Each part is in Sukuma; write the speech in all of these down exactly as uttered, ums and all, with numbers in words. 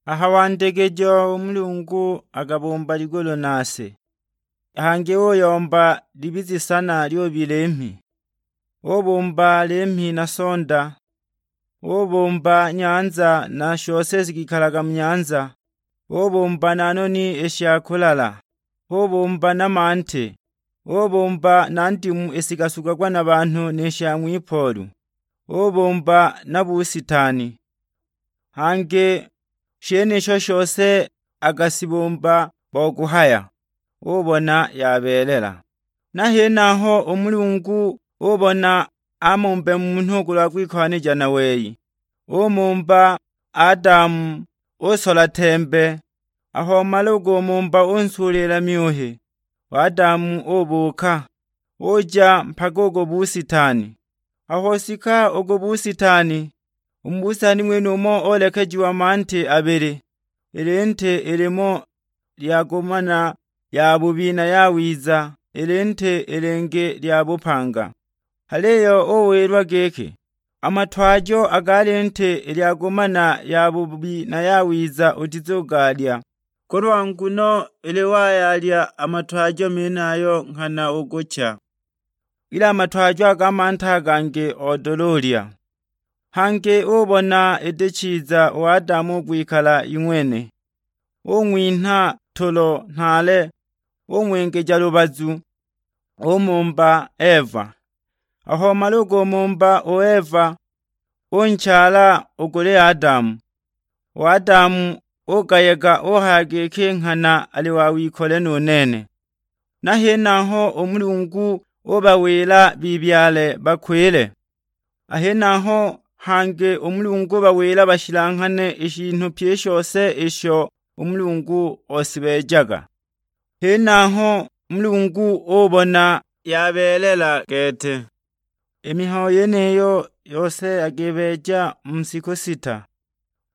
A ha wandegejo u Mulungu akabumba ligulu na si, hangi uyomba libize isana lyubi limhi. Ubumba limhi na sonda, ubumba nyanza na shose shikikalaga mu nyanza, ubumba na noni i sha kulala, ubumba na mante, ubumba na ndimu i shikasugagwa na banhu ni sha ng'wipoolu, ubumba na busitani. Hangi shenisho shose akashibumba bo kuhaya, ubona yabeelela. Na henaho u Mulungu ubona amumbe munhu kulwa kwikohanija na wei. Umumba Adamu, usola tembe. Aho wamala u kumumba unsuulila myuhi, u Adamu ubuuka, uja mpaka u ku busitani. Aho osika u ku busitani, u mu busitani ng'wenumo olekejiwa mante abili, i linte ilimo lyagumana yabubi na yawiza, i linte i lingi lya bupanga. Aliyo uwilwa giki, "A matwajo a ga linte i lyagumana yabubi na yawiza utizugalya, kulwa nguno ili wayalya a matwajo menayo nghana ukucha, ili a matwajo a ga mante a gangi odula ulya." Hangi ubona iti chiza u Adamu u kwikala ing'wene, ung'winha tulo nhaale, ung'wengeja lubazu, umumba Eva. Aho wamala u kumumba u Eva, unchala u kuli Adamu. U Adamu ugayega, uhaya giki, "Nghana ali wa wikole nu nene." Na henaho u Mulungu ubawila bibyale bakwile. A henaho hangi u Mulungu ubawila bashilanghane i shinhu pyi i shose isho u Mulungu osibeejaga. Henaho u Mulungu ubona yabeelela gete. I mihayo yeniyo yose akibeeja mu shiku sita.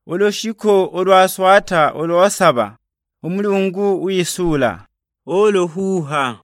U lushiku ulwa swata ulwa saba, u Mulungu wisuula, uluhuuha.